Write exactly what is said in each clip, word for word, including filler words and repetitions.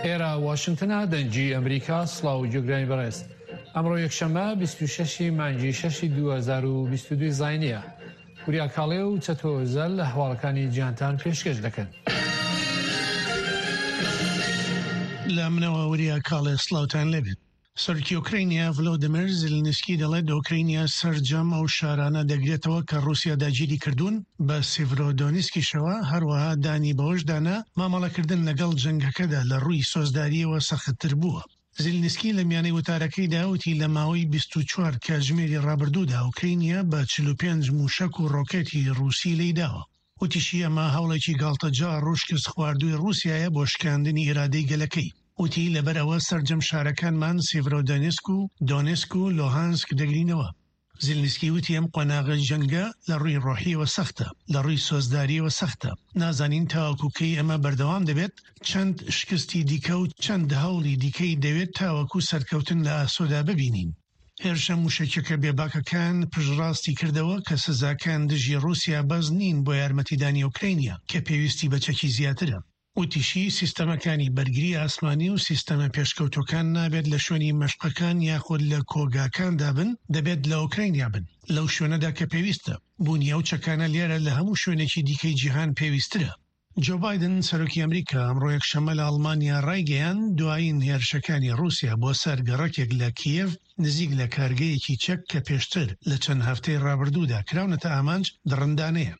ئێرە واشنگتنە، دەنگی ئەمریکا. سڵاو گوێگرانی بەڕێز، ئەمڕۆ یەکشەممە بیست و شەش ی مانگی شەش دوو هەزار و بیست و دوو زاینیە. وریا کاڵێ و چەتۆ ئۆزەل هەواڵەکانی جیهانتان پێشکەش دەکەن. لە منەوە وریا کاڵێ، سڵاوتان لێبێت. سەرۆکی ئۆکرەینیا ڤلۆدیمیر زیلنسکی دەڵێت ئۆکرەینیا سەرجەم ئەو شارانە دەگرێتەوە کە ڕووسیا داگیری کردوون بە سیڤرۆدۆنیسکیشەوە، هەروەها دانی بەوەشدا نا مامەڵەکردن لەگەڵ جەنگەکەدا لە ڕووی سۆزدارییەوە سەختتر بووە. زیلنسکی لە میانەی وتارەکەیدا وتی لە ماوەی بیست و چوار کاتژمێری ڕابردوودا ئۆکرەینیا بە چل و پێنج مووشەک و ڕۆکێتی ڕووسی لێیداوە. وتیشی ئەمە هەوڵێکی گاڵتەجاڕ و شکستخواردووی ڕووسیایە بۆ شکاندنی ئیرادەی گەلەکەی. وتی لەبەر ئەوە سەرجەم شارەکانمان سیڤرۆدۆنێسک و دۆنێسک و لۆهانسک دەگرینەوە. زیلنسکی وتی ئەم قۆناغەی جەنگە لە ڕووی ڕۆحییەوە سەختە، لە ڕووی سۆزدارییەوە سەختە، نازانین تاوەکو کەی ئەمە بەردەوام دەبێت، چەند شکستی دیکە و چەند هەوڵی دیکەی دەوێت تاوەکو سەرکەوتن لە ئاسۆدا ببینین. هێرشە مووشەکیەکە بێباکەکان پشتڕاستی کردەوە کە سزاکان دژی ڕووسیا بەس نین بۆ یارمەتیدانی ئۆکرەینیا کە پێویستی بە چەکی زیاترە. وتیشی، سیستەمەکانی بەرگری ئاسمانی و سیستەمە پێشکەوتووەکان نابێت لە شوێنی مەشقەکان یاخود لە کۆگاکاندا بن، دەبێت لە ئۆکرەینیا بن، لەو شوێنەدا کە پێویستە. بوونی ئەو چەکانە لێرە لە هەموو شوێنێکی دیکەی جیهان پێویستترە. جۆ بایدن، سەرۆکی ئەمریکا ئەمڕۆ یەکشەممە لە ئەڵمانیا ڕایگەیاند، دوایین هێرشەکانی ڕووسیا بۆ سەر گەڕەکێک لە کیێڤ نزیک لە کارگەیەکی چەک کە پێشتر لە چەند هەفتەی ڕابردوودا کراونەتە ئامانج، دڕندانەیە.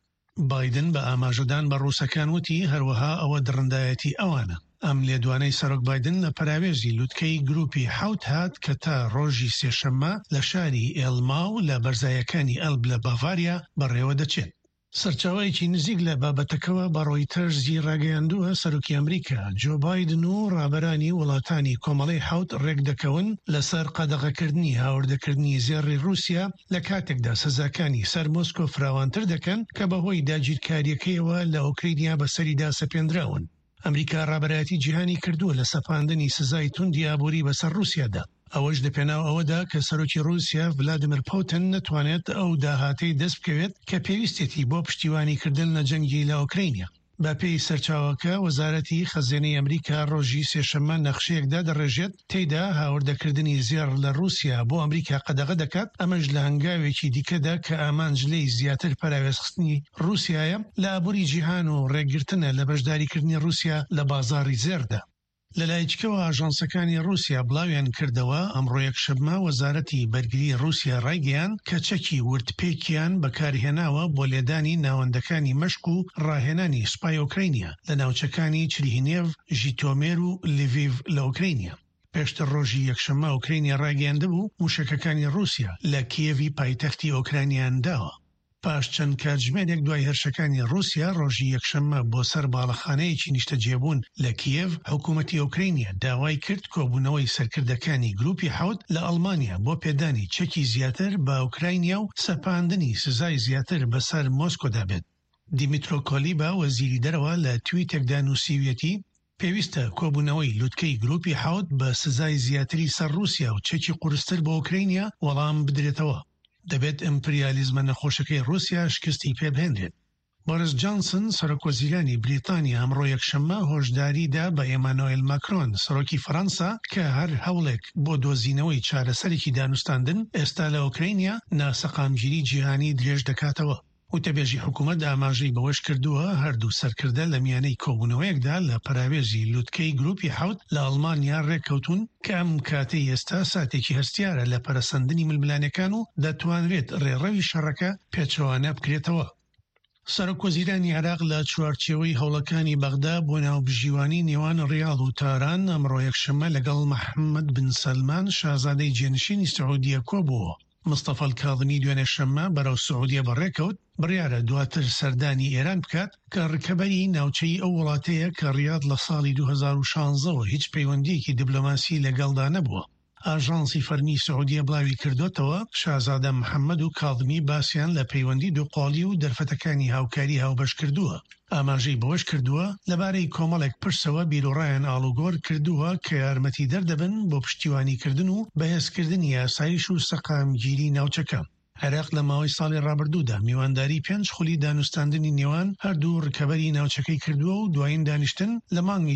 بایدن بە ئاماژەدان بە ڕووسەکان وتی، هەروەها ئەوە دڕندایەتی ئەوانە. ئەم لێدوانەی سەرۆک بایدن لە پەراوێزی لوتکەی گروپی حەوت هات کە تا ڕۆژی سێشەممە لە شاری ئێلماو لە بەرزاییەکانی ئەلب لە باڤاریا بەڕێوەدەچێت. سەرچاوەیەکی نزیک لە بابەتەکەوە بە ڕۆیتەرزی ڕاگەیاندووە، سەرۆکی ئەمریکا جۆ بایدن و ڕابەرانی وڵاتانی کۆمەڵەی حەوت ڕێکدەکەون لەسەر قەدەغەکردنی هاوردەکردنی زێڕی ڕووسیا لە کاتێکدا سزاکانی سەر مۆسکۆ فراوانتر دەکەن کە بەهۆی داگیرکارییەکەیەوە لە ئۆکرینیا بەسەریدا سەپێندراون. ئەمریکا ڕابەرایەتی جیهانی کردووە لە سەپاندنی سزای توندی ئابووری بەسەر ڕووسیادا، ئەوەش لەپێناو ئەوەدا کە سەرۆکی ڕووسیا ڤلادیمیر پوتن نەتوانێت ئەو داهاتەی دەست بکەوێت کە پێویستێتی بۆ پشتیوانیکردن لە جەنگی لە ئۆکرینیا. بەپێی سەرچاوەکە، وەزارەتی خەزێنەی ئەمریکا ڕۆژی سێشەممە نەخشەیەک دادەڕێژێت تێیدا هاوردەکردنی زێڕ لە ڕووسیا بۆ ئەمریکا قەدەغە دەکات، ئەمەش لە هەنگاوێکی دیکەدا کە ئامانج لێی زیاتر پەراوێزخستنی ڕووسیایە لە ئابووری جیهان و ڕێگرتنە لە بەشداریکردنی ڕووسیا لە بازاڕی زێڕدا. لەلایکەوە ئاژانسەکانی ڕووسیا بڵاویان کردەوە، ئەمڕۆ یەکشەممە وەزارەتی بەرگری ڕووسیا ڕایگەیاند کە چەکی وردپێکیان بەکارهێناوە بۆ لێدانی ناوەندەکانی مەشق و ڕاهێنانی سوپای ئۆکرینیا لە ناوچەکانی چرهینێڤ، ژیتۆمێر و لیڤیڤ لە ئۆکرینیا. پێشتر ڕۆژی یەکشەممە ئۆکرینیا ڕایگەیاندبوو موشەکەکانی ڕووسیا لە کیێڤی پایتەختی ئۆکرانیان داوە. پاش چەند کاتژمێرێک دوای هێرشەکانی ڕووسیا ڕۆژی یەکشەممە بۆ سەر باڵەخانەیەکی نیشتەجێبوون لە کیێڤ، حکوومەتی ئۆکرینیا داوای کرد کۆبوونەوەی سەرکردەکانی گروپی حەوت لە ئەڵمانیا بۆ پێدانی چەکی زیاتر بە ئۆکرانیا و سەپاندنی سزای زیاتر بەسەر مۆسکۆدا بێت. دیمیترۆ کۆلیبا وەزیری دەرەوە لە تویتێکدا نووسیویەتی پێویستە کۆبوونەوەی لوتکەی گروپی حەوت بە سزای زیاتری سەر ڕووسیا و چەکی قورستر بۆ ئۆکرینیا وەڵام بدرێتەوە. دەبێت ئیمپریالیزمە نەخۆشەکەی ڕووسیا شکستی پێبهێنرێت. بۆریس جانسن سەرۆک وەزیرانی بریتانیا ئەمڕۆ یەکشەممە هۆشداری دا بە ئێمانۆئێل ماکرۆن سەرۆکی فەرەنسا کە هەر هەوڵێک بۆ دۆزینەوەی چارەسەرێکی دانوستاندن ئێستا لە ئۆکرینیا ناسەقامگیری جیهانی درێژ دەکاتەوە. وتەبێژی حکوومەت ئاماژەی بەوەش کردووە، هەردوو سەرکردە لە میانەی کۆبوونەوەیەکدا لە پەراوێزی لوتکەی گروپی حەوت لە ئەڵمانیا ڕێککەوتوون کە ئەم کاتەی ئێستا ساتێکی هەستیارە لە پەرەسەندنی ململانێکان و دەتوانرێت ڕێڕەوی شەڕەکە پێچەوانە بکرێتەوە. سەرۆک وەزیرانی عێراق لە چوارچێوەی هەوڵەکانی بەغدا بۆ ناوبژیوانی نێوان ڕیاض و تاران ئەمڕۆ یەکشەممە لەگەڵ محەممەد بن سەلمان شازادەی جێنشینی سعودیە کۆبووەوە. مستەفا کاظمی دوێنێ شەممە بەرەو سعودیە بەڕێکەوت، بڕیارە دواتر سەردانی ئێران بکات کە ڕکەبەری ناوچەی ئەو وڵاتەیە کە ڕیاض لە ساڵی دوو هەزار و شانزە وە هیچ پەیوەندیەکی دیبلۆماسی لەگەڵدا نەبووە. ئاژانسی فەرمی سعودیە بڵاوی کردوتەوە، شازادە محەممەد و کاظمی باسیان لە پەیوەندی دووقۆڵی و دەرفەتەکانی هاوکاری هاوبەش کردووە. ئاماژەی بەوەش کردووە، لەبارەی کۆمەڵێک پرسەوە بیروڕایان ئاڵوگۆڕ کردووە کە یارمەتی دەردەبن بۆ پشتیوانیکردن و بەهێزکردنی ئاسایش و سەقامگیری ناوچەکە. عێراق لە ماوەی ساڵی ڕابردوودا میوانداری پێنج خولی دانوستاندنی نێوان هەردوو ڕکەبەری ناوچەکەی کردووە و دوایین دانیشتن لە مانگی